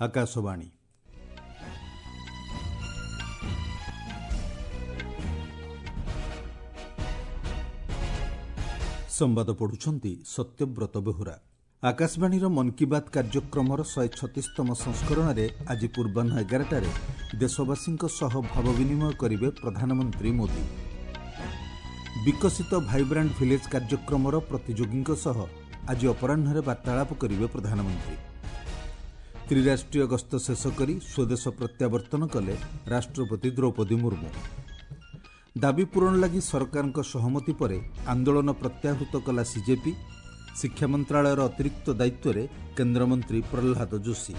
ଆକାଶବାଣୀ। ସମ୍ବାଦ ପଢୁଛନ୍ତି ସତ୍ୟବ୍ରତ ବେହୁରା। ଆକାଶବାଣୀର ମନ୍ କି ବାତ୍ କାର୍ଯ୍ୟକ୍ରମର 136ତମ ସଂସ୍କରଣରେ ଆଜି ପୂର୍ବାହ୍ନ 11ଟାରେ ଦେଶବାସୀଙ୍କ ସହ ଭାବ ବିନିମୟ କରିବେ ପ୍ରଧାନମନ୍ତ୍ରୀ ମୋଦି। ବିକଶିତ ଭାଇବ୍ରାଣ୍ଟ ଭିଲେଜ୍ କାର୍ଯ୍ୟକ୍ରମର ପ୍ରତିଯୋଗୀଙ୍କ ସହ ଆଜି ଅପରାହ୍ନରେ ବାର୍ତ୍ତାଳାପ କରିବେ ପ୍ରଧାନମନ୍ତ୍ରୀ। ତ୍ରିରାଷ୍ଟ୍ରୀୟ ଗସ୍ତ ଶେଷ କରି ସ୍ୱଦେଶ ପ୍ରତ୍ୟାବର୍ତ୍ତନ କଲେ ରାଷ୍ଟ୍ରପତି ଦ୍ରୌପଦୀ ମୁର୍ମୁ। ଦାବି ପୂରଣ ଲାଗି ସରକାରଙ୍କ ସହମତି ପରେ ଆନ୍ଦୋଳନ ପ୍ରତ୍ୟାହୃତ କଲା ସିଜେପି। ଶିକ୍ଷା ମନ୍ତ୍ରଣାଳୟର ଅତିରିକ୍ତ ଦାୟିତ୍ୱରେ କେନ୍ଦ୍ରମନ୍ତ୍ରୀ ପ୍ରହ୍ଲାଦ ଯୋଶୀ।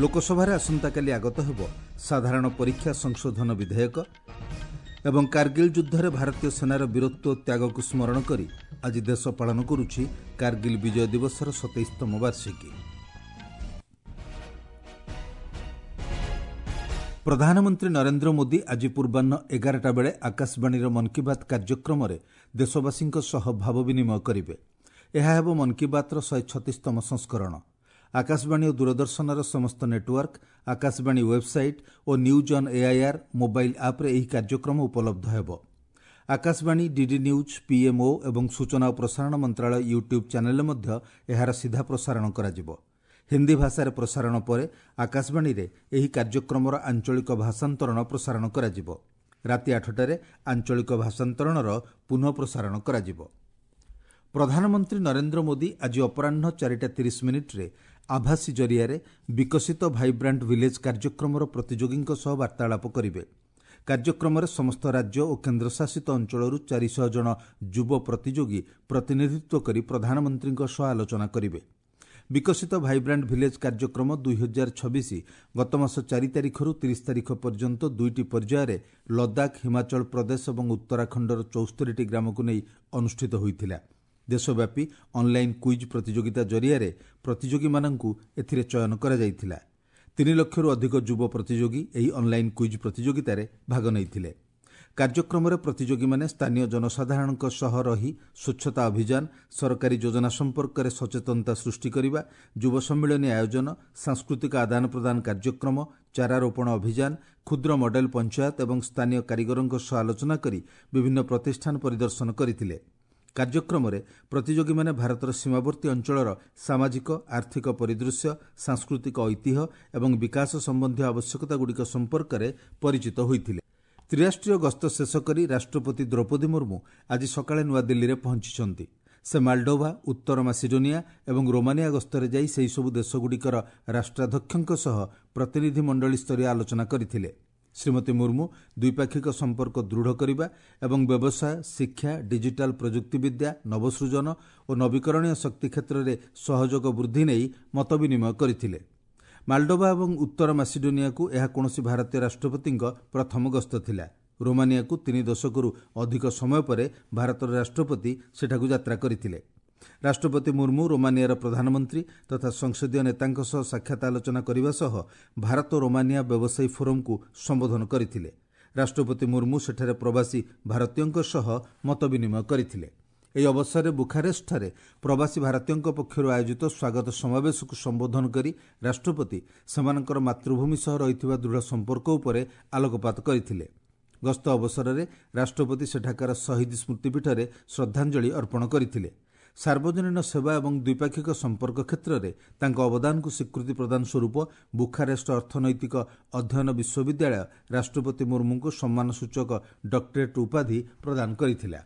ଲୋକସଭାରେ ଆସନ୍ତାକାଲି ଆଗତ ହେବ ସାଧାରଣ ପରୀକ୍ଷା ସଂଶୋଧନ ବିଧେୟକ। ଏବଂ କାର୍ଗିଲ୍ ଯୁଦ୍ଧରେ ଭାରତୀୟ ସେନାର ବୀରତ୍ୱ ଓ ତ୍ୟାଗକୁ ସ୍ମରଣ କରି ଆଜି ଦେଶ ପାଳନ କରୁଛି କାର୍ଗିଲ୍ ବିଜୟ ଦିବସର 27ତମ ବାର୍ଷିକୀ। ପ୍ରଧାନମନ୍ତ୍ରୀ ନରେନ୍ଦ୍ର ମୋଦି ଆଜି ପୂର୍ବାହ୍ନ 11ଟା ବେଳେ ଆକାଶବାଣୀର ମନ୍ କି ବାତ୍ କାର୍ଯ୍ୟକ୍ରମରେ ଦେଶବାସୀଙ୍କ ସହ ଭାବ ବିନିମୟ କରିବେ। ଏହା ହେବ ମନ୍ କି ବାତ୍ର 136ତମ ସଂସ୍କରଣ। ଆକାଶବାଣୀ ଓ ଦୂରଦର୍ଶନର ସମସ୍ତ network, Akashvani website O news on AIR mobile ଆପ୍ରେ ଏହି କାର୍ଯ୍ୟକ୍ରମ ଉପଲବ୍ଧ ହେବ। ଆକାଶବାଣୀ, ଡିଡି ନ୍ୟୁଜ୍, ପିଏମ୍ଓ ଏବଂ ସୂଚନା ଓ ପ୍ରସାରଣ ମନ୍ତ୍ରଣାଳୟ ୟୁଟ୍ୟୁବ୍ ଚ୍ୟାନେଲ୍ରେ ମଧ୍ୟ ଏହାର ସିଧା ପ୍ରସାରଣ କରାଯିବ। ହିନ୍ଦୀ ଭାଷାରେ ପ୍ରସାରଣ ପରେ ଆକାଶବାଣୀରେ ଏହି କାର୍ଯ୍ୟକ୍ରମର ଆଞ୍ଚଳିକ ଭାଷାନ୍ତରଣ ପ୍ରସାରଣ କରାଯିବ। ରାତି 8ଟାରେ ଆଞ୍ଚଳିକ ଭାଷାନ୍ତରଣର ପୁନଃ ପ୍ରସାରଣ କରାଯିବ। ପ୍ରଧାନମନ୍ତ୍ରୀ ନରେନ୍ଦ୍ର ମୋଦି ଆଜି ଅପରାହ୍ନ 4ଟା 30 ମିନିଟ୍ରେ ଆଭାସୀ ଜରିଆରେ ବିକଶିତ ଭାଇବ୍ରାଣ୍ଟ ଭିଲେଜ୍ କାର୍ଯ୍ୟକ୍ରମର ପ୍ରତିଯୋଗୀଙ୍କ ସହ ବାର୍ତ୍ତାଳାପ କରିବେ। କାର୍ଯ୍ୟକ୍ରମରେ ସମସ୍ତ ରାଜ୍ୟ ଓ କେନ୍ଦ୍ରଶାସିତ ଅଞ୍ଚଳରୁ 400 ଜଣ ଯୁବ ପ୍ରତିଯୋଗୀ ପ୍ରତିନିଧିତ୍ୱ କରି ପ୍ରଧାନମନ୍ତ୍ରୀଙ୍କ ସହ ଆଲୋଚନା କରିବେ। ବିକଶିତ ଭାଇବ୍ରାଣ୍ଟ ଭିଲେଜ୍ କାର୍ଯ୍ୟକ୍ରମ 2026 ଗତମାସ 4 ତାରିଖରୁ 30 ତାରିଖ ପର୍ଯ୍ୟନ୍ତ ଦୁଇଟି ପର୍ଯ୍ୟାୟରେ ଲଦାଖ, ହିମାଚଳ ପ୍ରଦେଶ ଏବଂ ଉତ୍ତରାଖଣ୍ଡର 74ଟି ଗ୍ରାମକୁ ନେଇ ଅନୁଷ୍ଠିତ ହୋଇଥିଲା। ଦେଶବ୍ୟାପୀ ଅନ୍ଲାଇନ୍ କୁଇଜ୍ ପ୍ରତିଯୋଗିତା ଜରିଆରେ ପ୍ରତିଯୋଗୀମାନଙ୍କୁ ଏଥିରେ ଚୟନ କରାଯାଇଥିଲା। 3 ଲକ୍ଷରୁ ଅଧିକ ଯୁବ ପ୍ରତିଯୋଗୀ ଏହି ଅନ୍ଲାଇନ୍ କୁଇଜ୍ ପ୍ରତିଯୋଗିତାରେ ଭାଗ ନେଇଥିଲେ। କାର୍ଯ୍ୟକ୍ରମରେ ପ୍ରତିଯୋଗୀମାନେ ସ୍ଥାନୀୟ ଜନସାଧାରଣଙ୍କ ସହ ରହି ସ୍ୱଚ୍ଛତା ଅଭିଯାନ, ସରକାରୀ ଯୋଜନା ସମ୍ପର୍କରେ ସଚେତନତା ସୃଷ୍ଟି କରିବା, ଯୁବ ସମ୍ମିଳନୀ ଆୟୋଜନ, ସାଂସ୍କୃତିକ ଆଦାନ ପ୍ରଦାନ କାର୍ଯ୍ୟକ୍ରମ, ଚାରାରୋପଣ ଅଭିଯାନ, କ୍ଷୁଦ୍ର ମଡେଲ ପଞ୍ଚାୟତ ଏବଂ ସ୍ଥାନୀୟ କାରିଗରଙ୍କ ସହ ଆଲୋଚନା କରି ବିଭିନ୍ନ ପ୍ରତିଷ୍ଠାନ ପରିଦର୍ଶନ କରିଥିଲେ। କାର୍ଯ୍ୟକ୍ରମରେ ପ୍ରତିଯୋଗୀମାନେ ଭାରତର ସୀମାବର୍ତ୍ତୀ ଅଞ୍ଚଳର ସାମାଜିକ ଆର୍ଥିକ ପରିଦୃଶ୍ୟ, ସାଂସ୍କୃତିକ ଐତିହ୍ୟ ଏବଂ ବିକାଶ ସମ୍ବନ୍ଧୀୟ ଆବଶ୍ୟକତାଗୁଡ଼ିକ ସମ୍ପର୍କରେ ପରିଚିତ ହୋଇଥିଲେ। ତ୍ରିରାଷ୍ଟ୍ରୀୟ ଗସ୍ତ ଶେଷ କରି ରାଷ୍ଟ୍ରପତି ଦ୍ରୌପଦୀ ମୁର୍ମୁ ଆଜି ସକାଳେ ନୂଆଦିଲ୍ଲୀରେ ପହଞ୍ଚିଛନ୍ତି। ସେ ମାଲ୍ଡୋଭା, ଉତ୍ତର ମାସିଡୋନିଆ ଏବଂ ରୋମାନିଆ ଗସ୍ତରେ ଯାଇ ସେହିସବୁ ଦେଶଗୁଡ଼ିକର ରାଷ୍ଟ୍ରାଧ୍ୟକ୍ଷଙ୍କ ସହ ପ୍ରତିନିଧିମଣ୍ଡଳୀ ସ୍ତରୀୟ ଆଲୋଚନା କରିଥିଲେ। ଶ୍ରୀମତୀ ମୁର୍ମୁ ଦ୍ୱିପାକ୍ଷିକ ସମ୍ପର୍କ ଦୃଢ଼ କରିବା ଏବଂ ବ୍ୟବସାୟ, ଶିକ୍ଷା, ଡିଜିଟାଲ ପ୍ରଯୁକ୍ତିବିଦ୍ୟା, ନବସୃଜନ ଓ ନବୀକରଣୀୟ ଶକ୍ତି କ୍ଷେତ୍ରରେ ସହଯୋଗ ବୃଦ୍ଧି ନେଇ ମତ ବିନିମୟ କରିଥିଲେ। ମାଲ୍ଡୋଭା ଏବଂ ଉତ୍ତର ମାସିଡୋନିଆକୁ ଏହା କୌଣସି ଭାରତୀୟ ରାଷ୍ଟ୍ରପତିଙ୍କ ପ୍ରଥମ ଗସ୍ତ ଥିଲା। ରୋମାନିଆକୁ 3 ଦଶକରୁ ଅଧିକ ସମୟ ପରେ ଭାରତର ରାଷ୍ଟ୍ରପତି ସେଠାକୁ ଯାତ୍ରା କରିଥିଲେ। ରାଷ୍ଟ୍ରପତି ମୁର୍ମୁ ରୋମାନିଆର ପ୍ରଧାନମନ୍ତ୍ରୀ ତଥା ସଂସଦୀୟ ନେତାଙ୍କ ସହ ସାକ୍ଷାତ ଆଲୋଚନା କରିବା ସହ ଭାରତ ରୋମାନିଆ ବ୍ୟବସାୟୀ ଫୋରମ୍କୁ ସମ୍ବୋଧନ କରିଥିଲେ। ରାଷ୍ଟ୍ରପତି ମୁର୍ମୁ ସେଠାରେ ପ୍ରବାସୀ ଭାରତୀୟଙ୍କ ସହ ମତ ବିନିମୟ କରିଥିଲେ। ଏହି ଅବସରରେ ବୁଖାରେଷ୍ଟଠାରେ ପ୍ରବାସୀ ଭାରତୀୟଙ୍କ ପକ୍ଷରୁ ଆୟୋଜିତ ସ୍ୱାଗତ ସମାବେଶକୁ ସମ୍ବୋଧନ କରି ରାଷ୍ଟ୍ରପତି ସେମାନଙ୍କର ମାତୃଭୂମି ସହ ରହିଥିବା ଦୃଢ଼ ସମ୍ପର୍କ ଉପରେ ଆଲୋକପାତ କରିଥିଲେ। ଗସ୍ତ ଅବସରରେ ରାଷ୍ଟ୍ରପତି ସେଠାକାର ଶହୀଦ ସ୍ମୃତିପୀଠରେ ଶ୍ରଦ୍ଧାଞ୍ଜଳି ଅର୍ପଣ କରିଥିଲେ। ସାର୍ବଜନୀନ ସେବା ଏବଂ ଦ୍ୱିପାକ୍ଷିକ ସମ୍ପର୍କ କ୍ଷେତ୍ରରେ ତାଙ୍କ ଅବଦାନକୁ ସ୍ୱୀକୃତି ପ୍ରଦାନ ସ୍ୱରୂପ ବୁଖାରେଷ୍ଟ ଅର୍ଥନୈତିକ ଅଧ୍ୟୟନ ବିଶ୍ୱବିଦ୍ୟାଳୟ ରାଷ୍ଟ୍ରପତି ମୁର୍ମୁଙ୍କୁ ସମ୍ମାନସୂଚକ ଡକ୍ଟରେଟ୍ ଉପାଧି ପ୍ରଦାନ କରିଥିଲା।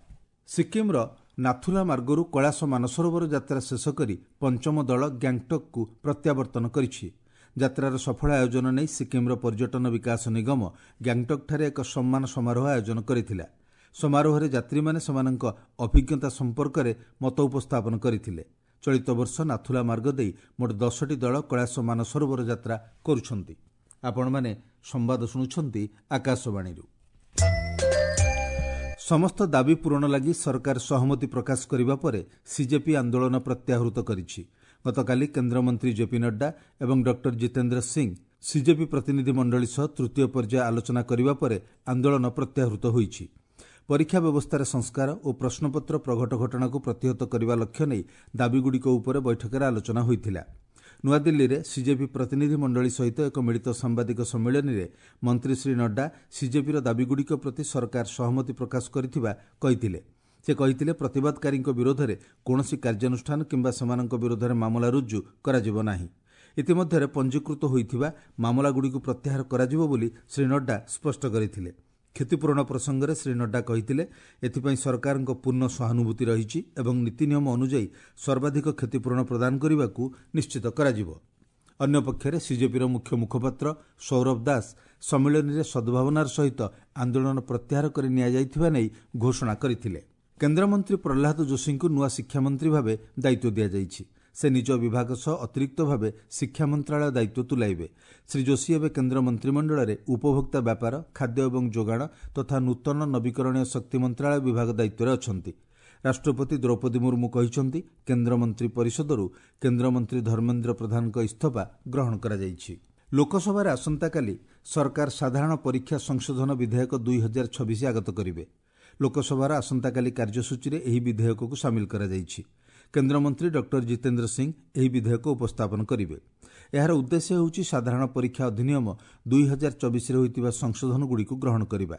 ସିକ୍କିମ୍ର ନାଥୁଲା ମାର୍ଗରୁ କୈଳାସ ମାନସରୋବର ଯାତ୍ରା ଶେଷ କରି ପଞ୍ଚମ ଦଳ ଗ୍ୟାଙ୍ଗଟକ୍କୁ ପ୍ରତ୍ୟାବର୍ତ୍ତନ କରିଛି। ଯାତ୍ରାର ସଫଳ ଆୟୋଜନ ନେଇ ସିକ୍କିମ୍ର ପର୍ଯ୍ୟଟନ ବିକାଶ ନିଗମ ଗ୍ୟାଙ୍ଗଟକ୍ଠାରେ ଏକ ସମ୍ମାନ ସମାରୋହ ଆୟୋଜନ କରିଥିଲା। ସମାରୋହରେ ଯାତ୍ରୀମାନେ ସେମାନଙ୍କ ଅଭିଜ୍ଞତା ସମ୍ପର୍କରେ ମତ ଉପସ୍ଥାପନ କରିଥିଲେ। ଚଳିତ ବର୍ଷ ନାଥୁଲା ମାର୍ଗ ଦେଇ ମୋଟ 10ଟି ଦଳ କୈଳାସ ମାନସରୋବର ଯାତ୍ରା କରୁଛନ୍ତି। ଆପଣମାନେ ସମ୍ବାଦ ଶୁଣୁଛନ୍ତି ଆକାଶବାଣୀରୁ। ସମସ୍ତ ଦାବି ପୂରଣ ଲାଗି ସରକାର ସହମତି ପ୍ରକାଶ କରିବା ପରେ ସିଜେପି ଆନ୍ଦୋଳନ ପ୍ରତ୍ୟାହୃତ କରିଛି। ଗତକାଲି କେନ୍ଦ୍ରମନ୍ତ୍ରୀ ଜେପି ନଡ୍ଡା ଏବଂ ଡକ୍ଟର ଜିତେନ୍ଦ୍ର ସିଂ ସିଜେପି ପ୍ରତିନିଧି ମଣ୍ଡଳୀ ସହ ତୃତୀୟ ପର୍ଯ୍ୟାୟ ଆଲୋଚନା କରିବା ପରେ ଆନ୍ଦୋଳନ ପ୍ରତ୍ୟାହୃତ ହୋଇଛି। ପରୀକ୍ଷା ବ୍ୟବସ୍ଥାରେ ସଂସ୍କାର ଓ ପ୍ରଶ୍ନପତ୍ର ପ୍ରଘଟ ଘଟଣାକୁ ପ୍ରତିହତ କରିବା ଲକ୍ଷ୍ୟ ନେଇ ଦାବିଗୁଡ଼ିକ ଉପରେ ବୈଠକରେ ଆଲୋଚନା ହୋଇଥିଲା। ନୂଆଦିଲ୍ଲୀରେ ସିଜେପି ପ୍ରତିନିଧି ମଣ୍ଡଳୀ ସହିତ ଏକ ମିଳିତ ସାମ୍ବାଦିକ ସମ୍ମିଳନୀରେ ମନ୍ତ୍ରୀ ଶ୍ରୀ ନଡ୍ଡା ସିଜେପିର ଦାବିଗୁଡ଼ିକ ପ୍ରତି ସରକାର ସହମତି ପ୍ରକାଶ କରିଥିବା କହିଥିଲେ। ସେ କହିଥିଲେ, ପ୍ରତିବାଦକାରୀଙ୍କ ବିରୋଧରେ କୌଣସି କାର୍ଯ୍ୟାନୁଷ୍ଠାନ କିମ୍ବା ସେମାନଙ୍କ ବିରୋଧରେ ମାମଲା ରୁଜୁ କରାଯିବ ନାହିଁ। ଇତିମଧ୍ୟରେ ପଞ୍ଜୀକୃତ ହୋଇଥିବା ମାମଲାଗୁଡ଼ିକୁ ପ୍ରତ୍ୟାହାର କରାଯିବ ବୋଲି ଶ୍ରୀ ନଡ୍ଡା ସ୍ପଷ୍ଟ କରିଥିଲେ। କ୍ଷତିପୂରଣ ପ୍ରସଙ୍ଗରେ ଶ୍ରୀ ନଡ୍ଡା କହିଥିଲେ, ଏଥିପାଇଁ ସରକାରଙ୍କ ପୂର୍ଣ୍ଣ ସହାନୁଭୂତି ରହିଛି ଏବଂ ନୀତିନିୟମ ଅନୁଯାୟୀ ସର୍ବାଧିକ କ୍ଷତିପୂରଣ ପ୍ରଦାନ କରିବାକୁ ନିଶ୍ଚିତ କରାଯିବ। ଅନ୍ୟପକ୍ଷରେ ସିଜେପିର ମୁଖ୍ୟ ମୁଖପାତ୍ର ସୌରଭ ଦାସ ସମ୍ମିଳନୀରେ ସଦ୍ଭାବନାର ସହିତ ଆନ୍ଦୋଳନ ପ୍ରତ୍ୟାହାର କରି ନିଆଯାଇଥିବା ନେଇ ଘୋଷଣା କରିଥିଲେ। କେନ୍ଦ୍ରମନ୍ତ୍ରୀ ପ୍ରହ୍ଲାଦ ଯୋଶୀଙ୍କୁ ନୂଆ ଶିକ୍ଷାମନ୍ତ୍ରୀ ଭାବେ ଦାୟିତ୍ୱ ଦିଆଯାଇଛି। ସେ ନିଜ ବିଭାଗ ସହ ଅତିରିକ୍ତ ଭାବେ ଶିକ୍ଷା ମନ୍ତ୍ରାଳୟ ଦାୟିତ୍ୱ ତୁଲାଇବେ। ଶ୍ରୀ ଯୋଶୀ ଏବେ କେନ୍ଦ୍ର ମନ୍ତ୍ରିମଣ୍ଡଳରେ ଉପଭୋକ୍ତା ବ୍ୟାପାର, ଖାଦ୍ୟ ଏବଂ ଯୋଗାଣ ତଥା ନୂତନ ନବୀକରଣୀୟ ଶକ୍ତି ମନ୍ତ୍ରାଳୟ ବିଭାଗ ଦାୟିତ୍ୱରେ ଅଛନ୍ତି। ରାଷ୍ଟ୍ରପତି ଦ୍ରୌପଦୀ ମୁର୍ମୁ କହିଛନ୍ତି, କେନ୍ଦ୍ରମନ୍ତ୍ରୀ ପରିଷଦରୁ କେନ୍ଦ୍ରମନ୍ତ୍ରୀ ଧର୍ମେନ୍ଦ୍ର ପ୍ରଧାନଙ୍କ ଇସ୍ତଫା ଗ୍ରହଣ କରାଯାଇଛି। ଲୋକସଭାରେ ଆସନ୍ତାକାଲି ସରକାର ସାଧାରଣ ପରୀକ୍ଷା ସଂଶୋଧନ ବିଧେୟକ 2026 ଆଗତ କରିବେ। ଲୋକସଭାର ଆସନ୍ତାକାଲି କାର୍ଯ୍ୟସୂଚୀରେ ଏହି ବିଧେୟକକୁ ସାମିଲ କରାଯାଇଛି। କେନ୍ଦ୍ରମନ୍ତ୍ରୀ ଡକ୍ଟର ଜିତେନ୍ଦ୍ର ସିଂ ଏହି ବିଧେୟକ ଉପସ୍ଥାପନ କରିବେ। ଏହାର ଉଦ୍ଦେଶ୍ୟ ହେଉଛି ସାଧାରଣ ପରୀକ୍ଷା ଅଧିନିୟମ 2024ରେ ହୋଇଥିବା ସଂଶୋଧନଗୁଡ଼ିକୁ ଗ୍ରହଣ କରିବା।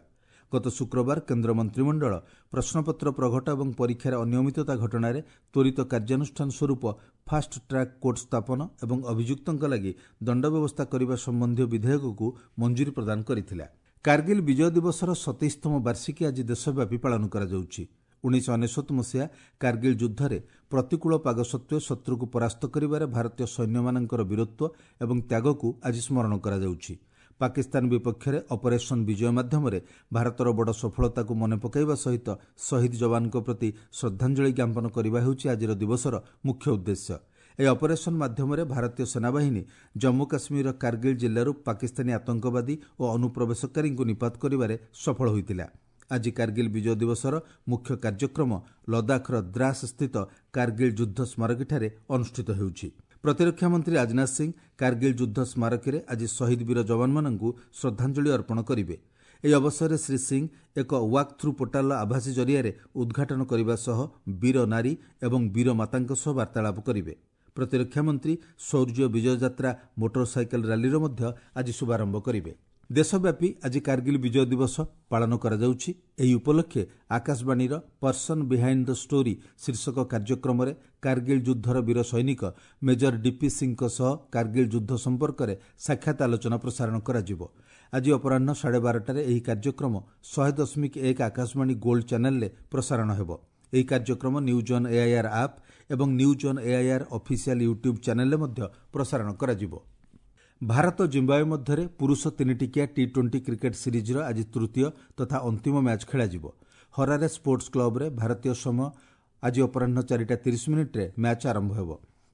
ଗତ ଶୁକ୍ରବାର କେନ୍ଦ୍ର ମନ୍ତ୍ରିମଣ୍ଡଳ ପ୍ରଶ୍ନପତ୍ର ପ୍ରଘଟ ଏବଂ ପରୀକ୍ଷାରେ ଅନିୟମିତତା ଘଟଣାରେ ତ୍ୱରିତ କାର୍ଯ୍ୟାନୁଷ୍ଠାନ ସ୍ୱରୂପ ଫାଷ୍ଟ ଟ୍ରାକ୍ କୋର୍ଟ ସ୍ଥାପନ ଏବଂ ଅଭିଯୁକ୍ତଙ୍କ ଲାଗି ଦଣ୍ଡ ବ୍ୟବସ୍ଥା କରିବା ସମ୍ବନ୍ଧୀୟ ବିଧେୟକକୁ ମଞ୍ଜୁରୀ ପ୍ରଦାନ କରିଥିଲା। କାର୍ଗିଲ୍ ବିଜୟ ଦିବସର 27ତମ ବାର୍ଷିକୀ ଆଜି ଦେଶବ୍ୟାପୀ ପାଳନ କରାଯାଉଛି। 1999 ମସିହା କାର୍ଗିଲ୍ ଯୁଦ୍ଧରେ ପ୍ରତିକୂଳ ପାଗ ସତ୍ତ୍ୱେ ଶତ୍ରୁକୁ ପରାସ୍ତ କରିବାରେ ଭାରତୀୟ ସୈନ୍ୟମାନଙ୍କର ବୀରତ୍ୱ ଏବଂ ତ୍ୟାଗକୁ ଆଜି ସ୍ମରଣ କରାଯାଉଛି। ପାକିସ୍ତାନ ବିପକ୍ଷରେ ଅପରେସନ୍ ବିଜୟ ମାଧ୍ୟମରେ ଭାରତର ବଡ଼ ସଫଳତାକୁ ମନେ ପକାଇବା ସହିତ ଶହୀଦ ଯବାନଙ୍କ ପ୍ରତି ଶ୍ରଦ୍ଧାଞ୍ଜଳି ଜ୍ଞାପନ କରିବା ହେଉଛି ଆଜିର ଦିବସର ମୁଖ୍ୟ ଉଦ୍ଦେଶ୍ୟ। ଏହି ଅପରେସନ୍ ମାଧ୍ୟମରେ ଭାରତୀୟ ସେନାବାହିନୀ ଜମ୍ମୁ କାଶ୍ମୀରର କାର୍ଗିଲ୍ ଜିଲ୍ଲାରୁ ପାକିସ୍ତାନୀ ଆତଙ୍କବାଦୀ ଓ ଅନୁପ୍ରବେଶକାରୀଙ୍କୁ ନିପାତ କରିବାରେ ସଫଳ ହୋଇଥିଲା। ଆଜି କାର୍ଗିଲ୍ ବିଜୟ ଦିବସର ମୁଖ୍ୟ କାର୍ଯ୍ୟକ୍ରମ ଲଦାଖର ଦ୍ରାସ ସ୍ଥିତ କାର୍ଗିଲ୍ ଯୁଦ୍ଧ ସ୍ମାରକୀଠାରେ ଅନୁଷ୍ଠିତ ହେଉଛି। ପ୍ରତିରକ୍ଷା ମନ୍ତ୍ରୀ ରାଜନାଥ ସିଂ କାର୍ଗିଲ୍ ଯୁଦ୍ଧ ସ୍ମାରକୀରେ ଆଜି ଶହୀଦ ବୀର ଯବାନମାନଙ୍କୁ ଶ୍ରଦ୍ଧାଞ୍ଜଳି ଅର୍ପଣ କରିବେ। ଏହି ଅବସରରେ ଶ୍ରୀ ସିଂ ଏକ ୱାକ୍ ଥ୍ରୁ ପୋର୍ଟାଲର ଆଭାସୀ ଜରିଆରେ ଉଦ୍ଘାଟନ କରିବା ସହ ବୀର ନାରୀ ଏବଂ ବୀର ମାତାଙ୍କ ସହ ବାର୍ତ୍ତାଳାପ କରିବେ। ପ୍ରତିରକ୍ଷା ମନ୍ତ୍ରୀ ଶୌର୍ଯ୍ୟ ବିଜୟ ଯାତ୍ରା ମୋଟର ସାଇକେଲ ରାଲିର ମଧ୍ୟ ଆଜି ଶୁଭାରମ୍ଭ କରିବେ। ଦେଶବ୍ୟାପୀ ଆଜି କାର୍ଗିଲ୍ ବିଜୟ ଦିବସ ପାଳନ କରାଯାଉଛି। ଏହି ଉପଲକ୍ଷେ ଆକାଶବାଣୀର ପର୍ସନ୍ ବିହାଇଣ୍ଡ the story ଶୀର୍ଷକ କାର୍ଯ୍ୟକ୍ରମରେ କାର୍ଗିଲ୍ ଯୁଦ୍ଧର ବୀର ସୈନିକ ମେଜର ଡିପି ସିଂଙ୍କ ସହ କାର୍ଗିଲ୍ ଯୁଦ୍ଧ ସମ୍ପର୍କରେ ସାକ୍ଷାତ ଆଲୋଚନା ପ୍ରସାରଣ କରାଯିବ। ଆଜି ଅପରାହ୍ନ 12:30ରେ ଏହି କାର୍ଯ୍ୟକ୍ରମ 100.1 ଆକାଶବାଣୀ ଗୋଲ୍ଡ ଚ୍ୟାନେଲରେ ପ୍ରସାରଣ ହେବ। ଏହି କାର୍ଯ୍ୟକ୍ରମ ନ୍ୟୁଜ୍ ଅନ୍ ଏଆଇଆର୍ ଆପ୍ ଏବଂ news on AIR official YouTube ଚ୍ୟାନେଲରେ ମଧ୍ୟ ପ୍ରସାରଣ କରାଯିବ। ଭାରତ ଜିମ୍ବାୱେ ମଧ୍ୟରେ ପୁରୁଷ 3 ଟିକିଆ ଟି-20 କ୍ରିକେଟ୍ ସିରିଜ୍ର ଆଜି ତୃତୀୟ ତଥା ଅନ୍ତିମ ମ୍ୟାଚ୍ ଖେଳାଯିବ। ହରାରେ ସ୍ପୋର୍ଟସ୍ କ୍ଲବ୍ରେ ଭାରତୀୟ ସମୟ ଆଜି ଅପରାହ୍ନ 4ଟା 30 ମିନିଟ୍ରେ ମ୍ୟାଚ୍ ଆରମ୍ଭ ହେବ।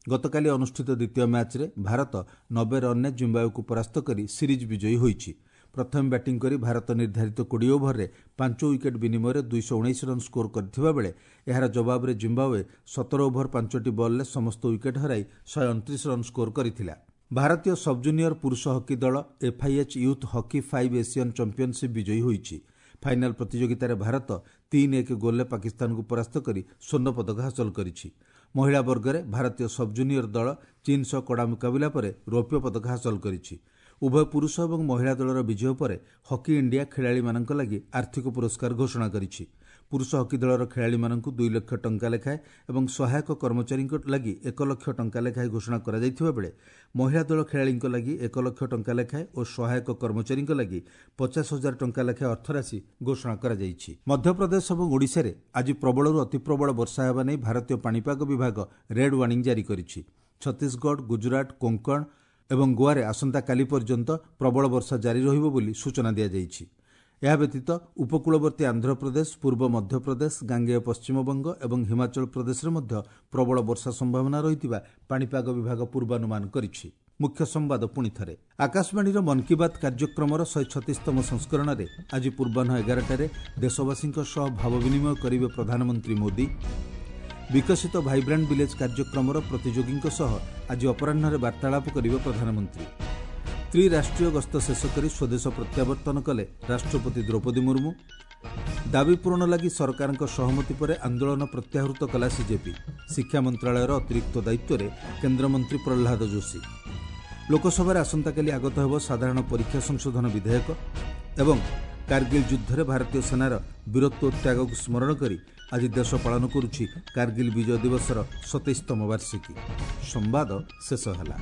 ଗତକାଲି ଅନୁଷ୍ଠିତ ଦ୍ୱିତୀୟ ମ୍ୟାଚ୍ରେ ଭାରତ 90 ରନ୍ରେ ଜିମ୍ବାୱେକୁ ପରାସ୍ତ କରି ସିରିଜ୍ ବିଜୟୀ ହୋଇଛି। ପ୍ରଥମେ ବ୍ୟାଟିଂ କରି ଭାରତ ନିର୍ଦ୍ଧାରିତ 20 ଓଭରରେ 5 ୱିକେଟ୍ ବିନିମୟରେ 219 ରନ୍ ସ୍କୋର କରିଥିବା ବେଳେ ଏହାର ଜବାବରେ ଜିମ୍ବାୱେ 17 ଓଭର 5ଟି ବଲ୍ରେ ସମସ୍ତ ୱିକେଟ୍ ହରାଇ 129 ରନ୍ ସ୍କୋର କରିଥିଲା। ଭାରତୀୟ ସବ୍ଜୁନିୟର ପୁରୁଷ ହକି ଦଳ FIH Youth Hockey 5 Asian Championship ବିଜୟୀ ହୋଇଛି। ଫାଇନାଲ ପ୍ରତିଯୋଗିତାରେ ଭାରତ 3-1 ଗୋଲ୍ରେ ପାକିସ୍ତାନକୁ ପରାସ୍ତ କରି ସ୍ୱର୍ଣ୍ଣ ପଦକ ହାସଲ କରିଛି। ମହିଳା ବର୍ଗରେ ଭାରତୀୟ ସବ୍ଜୁନିୟର ଦଳ ଚୀନ୍ ସହ କଡ଼ା ମୁକାବିଲା ପରେ ରୌପ୍ୟ ପଦକ ହାସଲ କରିଛି। ଉଭୟ ପୁରୁଷ ଏବଂ ମହିଳା ଦଳର ବିଜୟ ପରେ ହକି ଇଣ୍ଡିଆ ଖେଳାଳିମାନଙ୍କ ଲାଗି ଆର୍ଥିକ ପୁରସ୍କାର ଘୋଷଣା କରିଛି। ପୁରୁଷ ହକି ଦଳର ଖେଳାଳିମାନଙ୍କୁ 2 ଲକ୍ଷ ଟଙ୍କା ଲେଖାଏଁ ଏବଂ ସହାୟକ କର୍ମଚାରୀଙ୍କ ଲାଗି 1 ଲକ୍ଷ ଟଙ୍କା ଲେଖାଏଁ ଘୋଷଣା କରାଯାଇଥିବା ବେଳେ ମହିଳା ଦଳ ଖେଳାଳିଙ୍କ ଲାଗି 1 ଲକ୍ଷ ଟଙ୍କା ଲେଖାଏଁ ଓ ସହାୟକ କର୍ମଚାରୀଙ୍କ ଲାଗି 50,000 ଟଙ୍କା ଲେଖାଏଁ ଅର୍ଥରାଶି ଘୋଷଣା କରାଯାଇଛି। ମଧ୍ୟପ୍ରଦେଶ ଏବଂ ଓଡ଼ିଶାରେ ଆଜି ପ୍ରବଳରୁ ଅତିପ୍ରବଳ ବର୍ଷା ହେବା ନେଇ ଭାରତୀୟ ପାଣିପାଗ ବିଭାଗ ରେଡ୍ ୱାର୍ଣ୍ଣିଂ ଜାରି କରିଛି। ଛତିଶଗଡ଼, ଗୁଜରାଟ, କୋଙ୍କଣ ଏବଂ ଗୋଆରେ ଆସନ୍ତାକାଲି ପର୍ଯ୍ୟନ୍ତ ପ୍ରବଳ ବର୍ଷା ଜାରି ରହିବ ବୋଲି ସୂଚନା ଦିଆଯାଇଛି। ଏହା ବ୍ୟତୀତ ଉପକୂଳବର୍ତ୍ତୀ ଆନ୍ଧ୍ରପ୍ରଦେଶ, ପୂର୍ବ ମଧ୍ୟପ୍ରଦେଶ, ଗାଙ୍ଗେୟ ପଶ୍ଚିମବଙ୍ଗ ଏବଂ ହିମାଚଳ ପ୍ରଦେଶରେ ମଧ୍ୟ ପ୍ରବଳ ବର୍ଷା ସମ୍ଭାବନା ରହିଥିବା ପାଣିପାଗ ବିଭାଗ ପୂର୍ବାନୁମାନ କରିଛି। ମୁଖ୍ୟ ସମ୍ବାଦ ପୁଣି ଥରେ। ଆକାଶବାଣୀର ମନ୍ କି ବାତ୍ କାର୍ଯ୍ୟକ୍ରମର 136ତମ ସଂସ୍କରଣରେ ଆଜି ପୂର୍ବାହ୍ନ 11ଟାରେ ଦେଶବାସୀଙ୍କ ସହ ଭାବ ବିନିମୟ କରିବେ ପ୍ରଧାନମନ୍ତ୍ରୀ ମୋଦି। ବିକଶିତ ଭାଇବ୍ରାଣ୍ଟ ଭିଲେଜ୍ କାର୍ଯ୍ୟକ୍ରମର ପ୍ରତିଯୋଗୀଙ୍କ ସହ ଆଜି ଅପରାହ୍ନରେ ବାର୍ତ୍ତାଳାପ କରିବେ ପ୍ରଧାନମନ୍ତ୍ରୀ। ତ୍ରିରାଷ୍ଟ୍ରୀୟ ଗସ୍ତ ଶେଷ କରି ସ୍ୱଦେଶ ପ୍ରତ୍ୟାବର୍ତ୍ତନ କଲେ ରାଷ୍ଟ୍ରପତି ଦ୍ରୌପଦୀ ମୁର୍ମୁ। ଦାବି ପୂରଣ ଲାଗି ସରକାରଙ୍କ ସହମତି ପରେ ଆନ୍ଦୋଳନ ପ୍ରତ୍ୟାହୃତ କଲା ସିଜେପି। ଶିକ୍ଷା ମନ୍ତ୍ରାଳୟର ଅତିରିକ୍ତ ଦାୟିତ୍ୱରେ କେନ୍ଦ୍ରମନ୍ତ୍ରୀ ପ୍ରହ୍ଲାଦ ଯୋଶୀ। ଲୋକସଭାରେ ଆସନ୍ତାକାଲି ଆଗତ ହେବ ସାଧାରଣ ପରୀକ୍ଷା ସଂଶୋଧନ ବିଧେୟକ। ଏବଂ କାର୍ଗିଲ ଯୁଦ୍ଧରେ ଭାରତୀୟ ସେନାର ବୀରତ୍ୱ ଓ ତ୍ୟାଗକୁ ସ୍ମରଣ କରି ଆଜି ଦେଶ ପାଳନ କରୁଛି କାର୍ଗିଲ ବିଜୟ ଦିବସର 27ତମ ବାର୍ଷିକୀ। ସମ୍ବାଦ ଶେଷ ହେଲା।